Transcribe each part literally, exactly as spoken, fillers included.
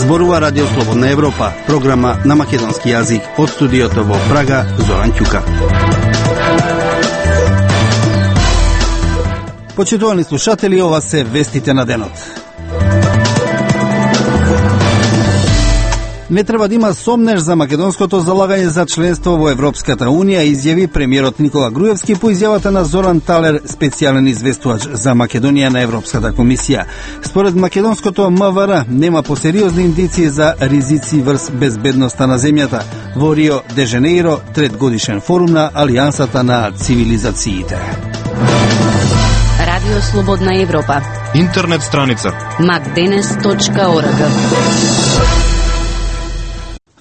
Зборува Радио Слободна Европа, програма на македонски јазик. Од студиото во Прага, Зоран Ќука. Почитувани слушатели, ова се вестите на денот. Не треба да има сомнеж за македонското залагање за членство во Европската Унија, изјави премиерот Никола Груевски по изјавата на Зоран Талер, специјален известувач за Македонија на Европската комисија. Според македонското М В Р нема посериозни индиции за ризици врз безбедноста на земјата. Во Рио де Женеиро, трет годишен форум на Алијансата на цивилизациите. Радио Слободна Европа. Интернет страница макденес точка орг.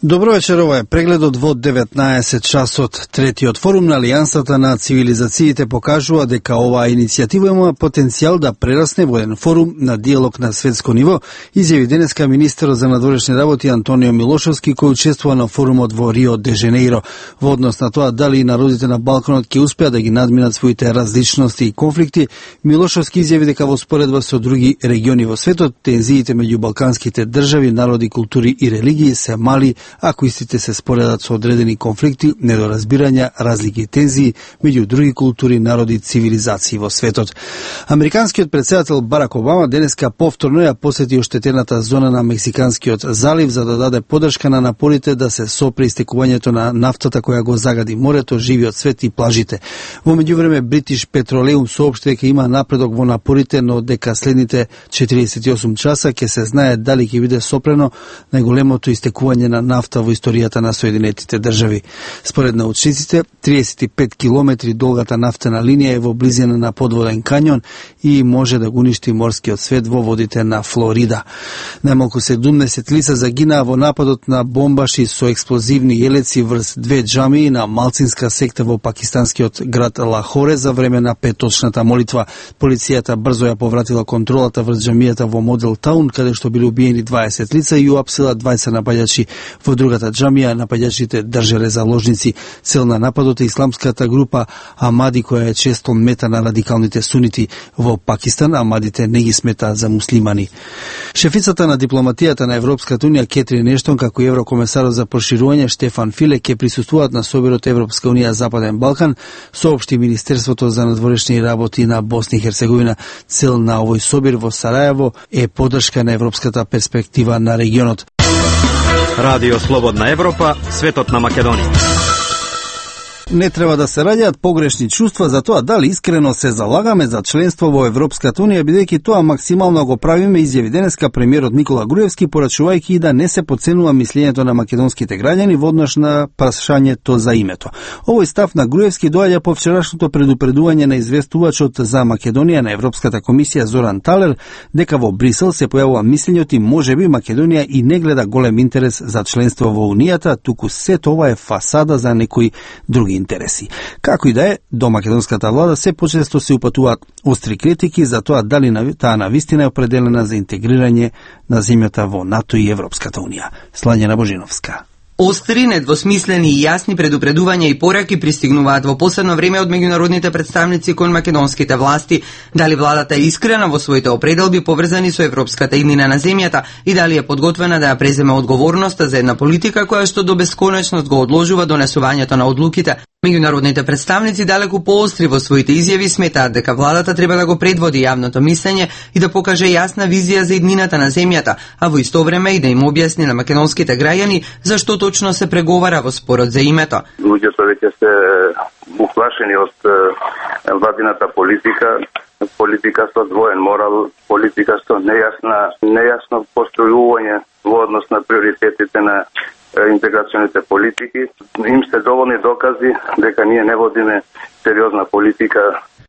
Добро вечер, ова е прегледот во деветнаесет часот. Третиот форум на Алијансата на цивилизациите покажува дека оваа иницијатива има потенцијал да прерасне во еден форум на диалог на светско ниво, изјави денеска министерот за надворешни работи Антонио Милошовски, кој учествува на форумот во Рио де Женеиро. Во однос на тоа дали народите на Балканот ќе успеат да ги надминат своите различности и конфликти, Милошовски изјави дека во споредба со други региони во светот, тензиите меѓу балканските држави, народи, култури и религии се мали, ако истите се споредат со одредени конфликти, недоразбирања, разлики и тензии меѓу други култури, народи, цивилизации во светот. Американскиот претседател Барак Обама денеска повторно ја посети оштетената зона на Мексиканскиот залив за да даде поддршка на напорите да се сопре истекувањето на нафтата која го загади морето, живиот свет и плажите. Во меѓувреме British Petroleum соопшти дека има напредок во напорите, но дека следните четириесет и осум часа ќе се знае дали ќе биде сопрено најголемото истекување на нафта во историјата на Соединетите држави. Според научниците, триесет и пет километри долгата нафтена линија е во близина на подводен кањон и може да го уништи морскиот свет во водите на Флорида. Најмалку седумдесет лица загинаа во нападот на бомбаши со експлозивни јелеци врз две џамии на малцинска секта во пакистанскиот град Лахоре за време на петочната молитва. Полицијата брзо ја повратила контролата врз џамијата во Модел Таун, каде што били убиени дваесет лица и уапсила дваесет напаѓачи. Во другата џамија напаѓачите држеле заложници. Цел на нападот е исламската група Амади, која е често мета на радикалните сунити. Во Пакистан Амадите не ги сметаат за муслимани. Шефицата на дипломатијата на Европската Унија Кетрин Ештон, како и еврокомесарот за проширување Штефан Филе ќе присуствуваат на соборот Европска Унија Западен Балкан, соопшти Министерството за надворешни работи на Босна и Херцеговина. Цел на овој собир во Сарајево е поддршка на европската перспектива на регионот. Радио Слободна Европа, светот на Македонија. Не треба да се раѓаат погрешни чувства за тоа дали искрено се залагаме за членство во Европската Унија, бидејќи тоа максимално го правиме, изјави денеска премиерот Никола Груевски, порачувајќи и да не се потценува мислењето на македонските граѓани во однос на прашањето за името. Овој став на Груевски доаѓа по вчерашното предупредување на известувачот за Македонија на Европската комисија Зоран Талер дека во Брисел се појавува мислењето и можеби Македонија и не гледа голем интерес за членство во Унијата, туку сето ова е фасада за некои други интереси. Како и да е, до македонската влада се почесто се упатуваат остри критики за тоа дали таа навистина е определена за интегрирање на земјата во НАТО и Европската Унија. Слањена Божиновска. Остри, недвосмислени и јасни предупредувања и пораки пристигнуваат во последно време од меѓународните представници кон македонските власти, дали владата е искрена во своите определби поврзани со европската иднина на земјата и дали е подготвена да ја преземе одговорноста за една политика која што до бесконечност го одложува донесувањето на одлуките. Меѓународните представници далеку поостри во своите изјави сметаат дека владата треба да го предводи јавното мислење и да покаже јасна визија за иднината на земјата, а во исто време и да им објасни на македонските граѓани зашто точно се преговара во спорот за името. Луѓето веќе се уплашени од владината политика, политика со двоен морал, политика со нејасна, нејасно постојување во однос на приоритетите на интеграционите политики. Им се доволни докази дека ние не водиме сериозна политика.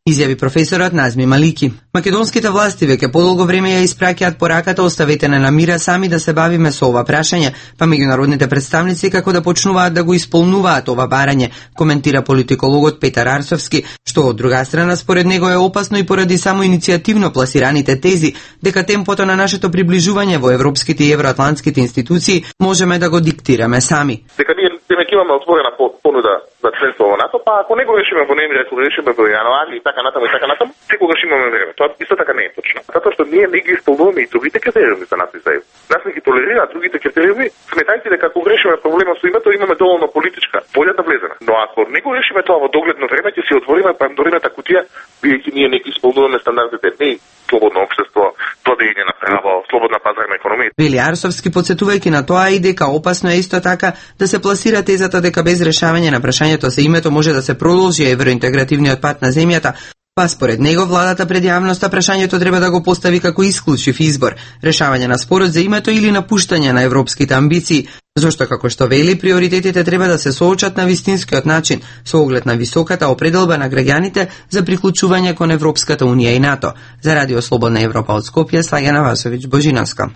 Изјави професорот Назми Малики. Македонските власти веќе подолго време ја испраќаат пораката оставете не на мира сами да се бавиме со ова прашање, па меѓународните представници како да почнуваат да го исполнуваат ова барање, коментира политикологот Петар Арсовски, што од друга страна според него е опасно и поради само иницијативно пласираните тези дека темпото на нашето приближување во европските и евроатлантските институции можеме да го диктираме сами. Дека ние време ќе имаме отворена понуда за членство во НАТО, па ако не го решиме во ноември, ако го решиме во јануари и така натаму и така натаму, секогаш имаме време. Тоа исто така не е точно. Затоа што ние не ги исполнуваме и другите критериуми за НАТО и за ЕУ. Нас не ги толерираат другите критериуми, сметајте дека ако решиме проблемот со името, имаме доволно политичка волја да влеземе. Но ако не го решиме тоа во догледно време, ќе си отвориме пандорината кутија, бидејќи ние не ги исполнуваме стандардите, не слободно општество, владење на право, слободна пазарна економија. Вели Арсовски, подсетувајќи на тоа и дека опасно е исто така да се пласира тезата дека без решавање на прашањето за името може да се продолжи евроинтегративниот пат на земјата. Па според него владата пред јавноста прашањето треба да го постави како исклучив избор, решавање на спорот за името или напуштање на европските амбиции, зашто како што вели приоритетите треба да се соочат на вистинскиот начин со оглед на високата определба на граѓаните за приклучување кон Европската унија и НАТО. За Радио Слободна Европа од Скопје, Слагена Васовиќ Божиновска.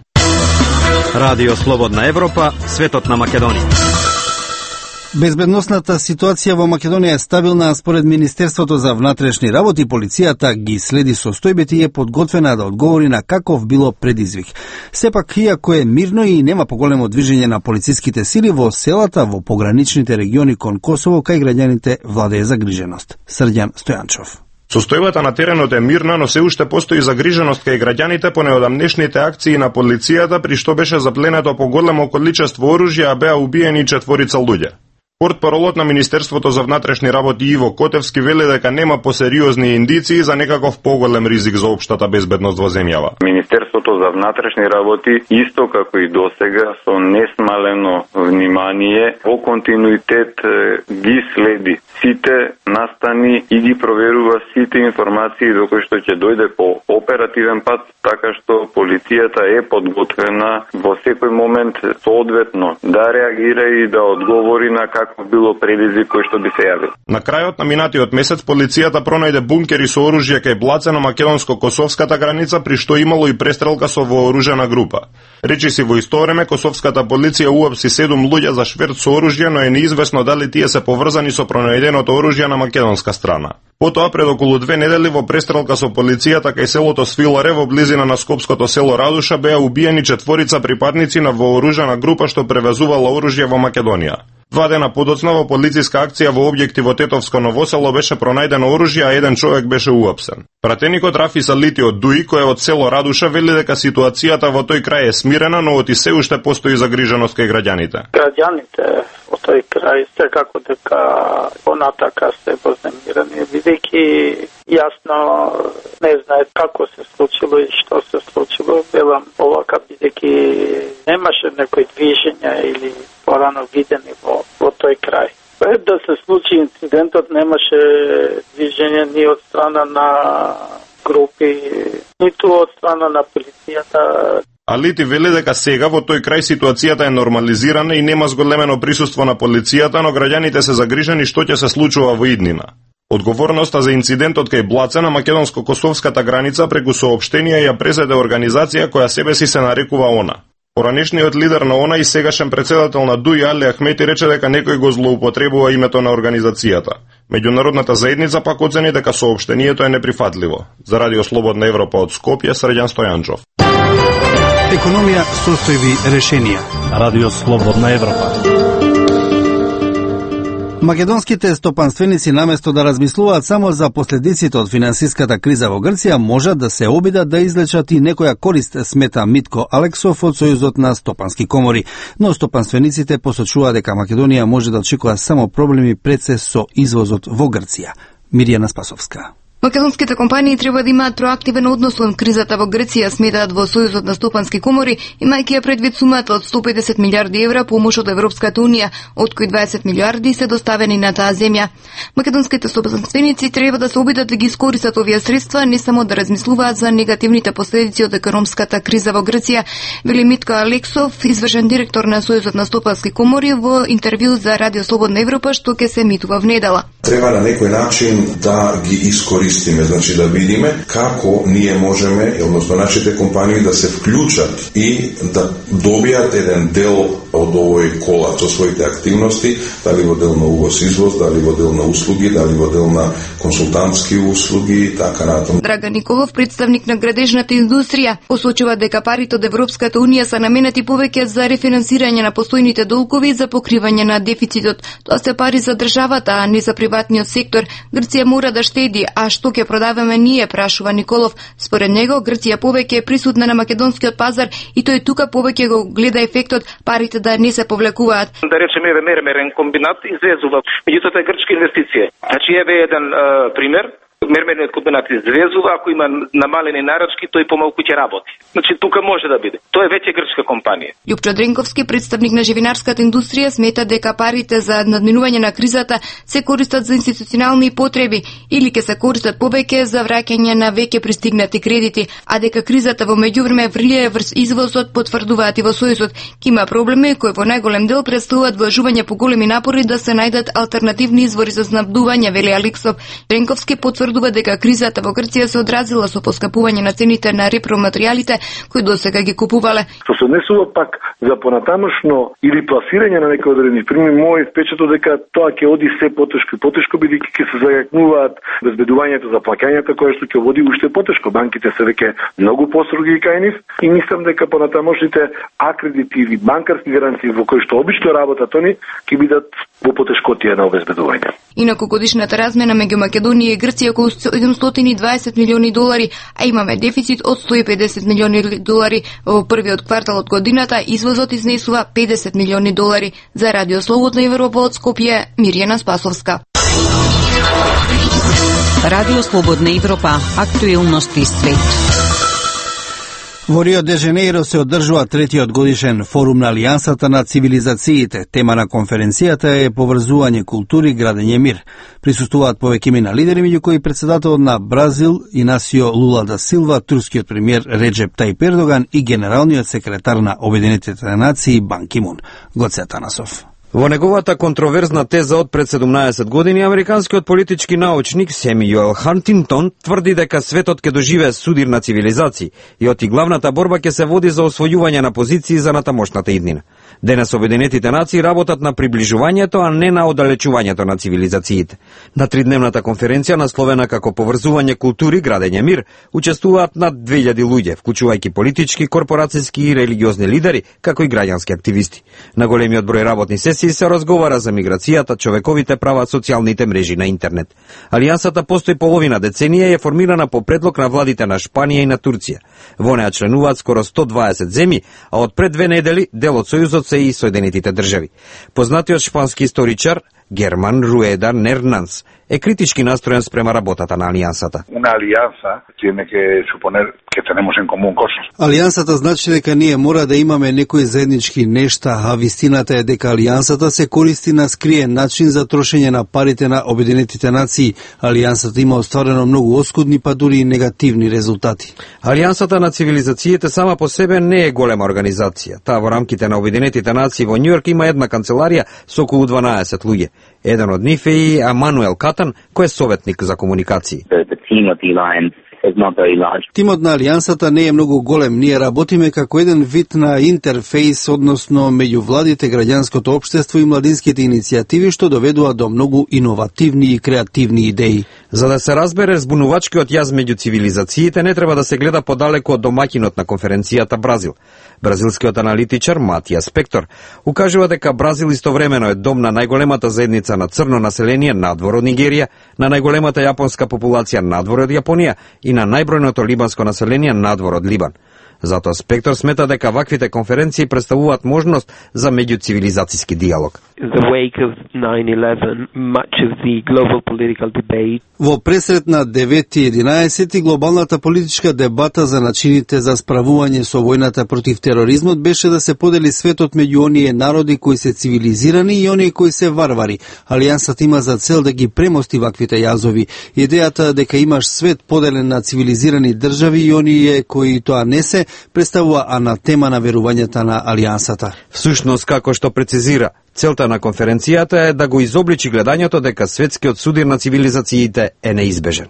Радио Слободна Европа, светот на Македонија. Безбедносната ситуација во Македонија е стабилна, според Министерството за внатрешни работи. Полицијата ги следи состојбите и е подготвена да одговори на каков било предизвик. Сепак, иако е мирно и нема поголемо движење на полициските сили во селата во пограничните региони кон Косово, кај граѓаните владее загриженост. Срđan Стојанчов. Состојбата на теренот е мирна, но се уште постои загриженост кај граѓаните по неодамнешните акции на полицијата, при што беше запленето поголемо количество оружје, а беа убиени четворица луѓе. Портпаролот на Министерството за внатрешни работи Иво Котевски вели дека нема посериозни индиции за некаков поголем ризик за општата безбедност во земјава. Министерството за внатрешни работи, исто како и досега, со несмалено внимание, во континуитет ги следи сите настани и ги проверува сите информации до кои што ќе дојде по оперативен пат, така што полицијата е подготвена во секој момент соодветно да реагира и да одговори на како било предизвик кој што би се јавил. На крајот на минатиот месец полицијата пронајде бункери со оружје кај Блацено-македонско-косовската граница, при што имало и престрелка со вооружена група. Речиси во исто време косовската полиција уапси седум луѓе за шверт со оружје, но е неизвестно дали тие се поврзани со пронајденото оружје на македонска страна. Потоа, пред околу две недели во престрелка со полицијата кај селото Свиларе во близина на скопското село Радуша беа убиени четворица припадници на вооружена група што превезувала оружје во Македонија. Два дена подоцна во полициска акција во објекти во Тетовско Новосело беше пронајдено оружје, а еден човек беше уапсен. Пратеникот Рафи Салити од Дуи, кој е од село Радуша, вели дека ситуацијата во тој крај е смирена, но оти се уште постои загриженост кај граѓаните. Граѓаните во тој крај секако дека понатака се вознемирани, бидејќи јасно не знаат како се случило и што се случило. Велам овака, бидејќи немаше некои движења или порано видени во, во тој крај. Пред да се случи инцидентот немаше движење ни од страна на групи, ниту од страна на полицијата. Алити вели дека сега во тој крај ситуацијата е нормализирана и нема зголемено присуство на полицијата, но граѓаните се загрижени што ќе се случува во иднина. Одговорноста за инцидентот кај Блаце на македонско-косовската граница преку соопштенија ја презеде организација која себе си се нарекува ОНА. Поранешниот лидер на ОНА и сегашен председател на Дуи Али Ахмети рече дека некој го злоупотребува името на организацијата. Меѓународната заедница пак оцени дека соопштението е неприфатливо. За Радио Слободна Европа од Скопје, Срđan Стојанчов. Економија, состојби, решенија. Радио Слободна Европа. Македонските стопанственици наместо да размислуваат само за последиците од финансиската криза во Грција, можат да се обидат да излечат и некоја корист, смета Митко Алексов од Сојузот на стопански комори. Но стопанствениците посочуваат дека Македонија може да очекува само проблеми пред се со извозот во Грција. Мирјана Спасовска. Македонските компании треба да имаат проактивен однос кон кризата во Грција, сметаат во Сојузот на стопански комори, имајќи ја предвид сумата од сто и педесет милиарди евра помош од Европската унија, од кои дваесет милиарди се доставени на таа земја. Македонските стопанственици треба да се обидат да ги искористат овие средства, не само да размислуваат за негативните последици од економската криза во Грција, вели Митко Алексов, извршен директор на Сојузот на стопански комори, во интервју за Радио Слободна Европа, што ќе се емитува внедела. Треба на некој начин да ги искористиме, значи да видиме како ние можеме, односно нашите компании да се вклучат и да добијат еден дел од овој колап со своите активности, дали во дел на увоз-извоз, дали во дел на услуги, дали во дел на консултантски услуги и така натаму. Драган Николов, представник на градежната индустрија, посочува дека парите од Европската унија се наменети повеќе за рефинансирање на постојните долгови и за покривање на дефицитот. Тоа се пари за државата, а не за приватниот сектор. Грција мора да штеди, а што ќе продаваме ние, прашува Николов. Според него, Грција повеќе е присутна на македонскиот пазар и тој тука повеќе го гледа ефектот парите да не се повлекуваат. Да речеме еве мермерен комбинат извезува, меѓутоа тоа е грчка инвестиција. Значи еве еден е, пример. Мермерниот комбинат извезува, ако има намалени нарачки, тој помалку ќе работи. Значи тука може да биде. Тоа е веќе грчка компанија. Љупчо Дренковски, представник на живинарската индустрија, смета дека парите за надминување на кризата се користат за институционални потреби или ќе се користат повеќе за враќање на веќе пристигнати кредити, а дека кризата во меѓувреме влијае врз извозот, потврдуваат и во Сојузот. Ки има проблеми кои во најголем дел представуваат вложување по големи напори да се најдат алтернативни извори за снабдување, вели Алексов. Дренковски потврдува дека кризата во Грција се одразила со поскапување на цените на репроматеријалите кои досега ги купувале. Што се однесува пак за понатамошно или пласирање на некои одредени фирми, мој впечаток дека тоа ќе оди се потешко и потешко, бидејќи ќе се зајакнуваат безбедувањето за плаќањата, кое што ќе води уште потешко. Банките се веќе многу построги кај нив и мислам дека понатамошните акредити или банкарски гаранции во кои што обично работат они ќе бидат во потешкотија на обезбедување. Инаку годишната размена меѓу Македонија и Грција околу седумстотини и дваесет милиони долари, а имаме дефицит од сто и педесет милиони долари во првиот квартал од годината, извозот изнесува педесет милиони долари. За Радио Слободна Европа од Скопје, Мирјана Спасовска. Радио Слободна Европа, актуелности свет. Во Рио де Женеиро се одржува третиот годишен форум на Алијансата на цивилизациите. Тема на конференцијата е поврзување култури, градење мир. Присуствуваат повеќина лидери, меѓу кои председателот на Бразил Инасио Лула да Силва, турскиот премиер Реджеп Тајип Ердоган и генералниот секретар на Обединетите нации Бан Ки Мун. Гоце Атанасов. Во неговата контроверзна теза од пред седумнаесет години, американскиот политички научник Семјуел Хантингтон тврди дека светот ќе доживее судир на цивилизации и оти главната борба ќе се води за освојување на позиции за натамошната иднина. Денес Обединетите нации работат на приближувањето, а не на оддалечувањето на цивилизациите. На тридневната конференција, насловена како поврзување култури, градење мир, учествуваат над две илјади луѓе, вклучувајќи политички, корпорацијски и религиозни лидери, како и граѓански активисти. На големиот број работни сесии се разговара за миграцијата, човековите права, социјалните мрежи на интернет. Алијансата постои половина деценија и е формирана по предлог на владите на Шпанија и на Турција. Во неа членуваат скоро сто дваесет земји, а од пред две недели дел од Сојузот се и Соединетите држави. Познатиот шпански историчар Герман Руеда Нернанс е критички настроен спрема работата на Алијансата. Una alianza tiene que suponer que tenemos en común cosas. Алијансата значи дека ние мора да имаме некои заеднички нешта, а вистината е дека Алијансата се користи на скриен начин за трошење на парите на Обединетите нации. Алијансата има остварено многу оскудни, па дури и негативни резултати. Алијансата на цивилизациите сама по себе не е голема организација. Таа во рамките на Обединетите нации во Њујорк има една канцеларија со околу дванаесет луѓе. Еден од нив е и Амануел Катан, кој е советник за комуникации. Тимот на Алијансата не е многу голем. Ние работиме како еден вид на интерфейс, односно меѓу владите, граѓанското општество и младинските иницијативи, што доведува до многу иновативни и креативни идеи. За да се разбере збунувачкиот јаз меѓу цивилизациите, не треба да се гледа подалеку од домаќинот на конференцијата Бразил. Бразилскиот аналитичар Матија Спектор укажува дека Бразил истовремено е дом на најголемата заедница на црно население надвор од Нигерија, на најголемата јапонска популација надвор од Јапонија и на најбројното либанско население надвор од Либан. Затоа Спектор смета дека ваквите конференции представуваат можност за меѓуцивилизацијски диалог. Во пресрет на девети и единаесети глобалната политичка дебата за начините за справување со војната против тероризмот беше да се подели светот меѓу оние народи кои се цивилизирани и оние кои се варвари. Алијансата има за цел да ги премости ваквите јазови. Идејата дека имаш свет поделен на цивилизирани држави и оние кои тоа не се, представува анатема на верувањата на Алијансата. Всушност, како што прецизира, целта на конференцијата е да го изобличи гледањето дека светскиот судир на цивилизациите е неизбежен.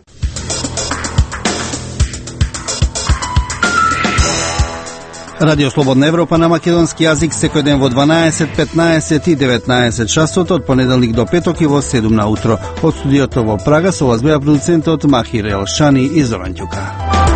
Радио Слободна Европа на македонски јазик секој ден во дванаесет, петнаесет и деветнаесет часот од понеделник до петок и во седум на утро. Од студиото во Прага со вас беа продуцентот Махир Елшани и Зоран Ѓука.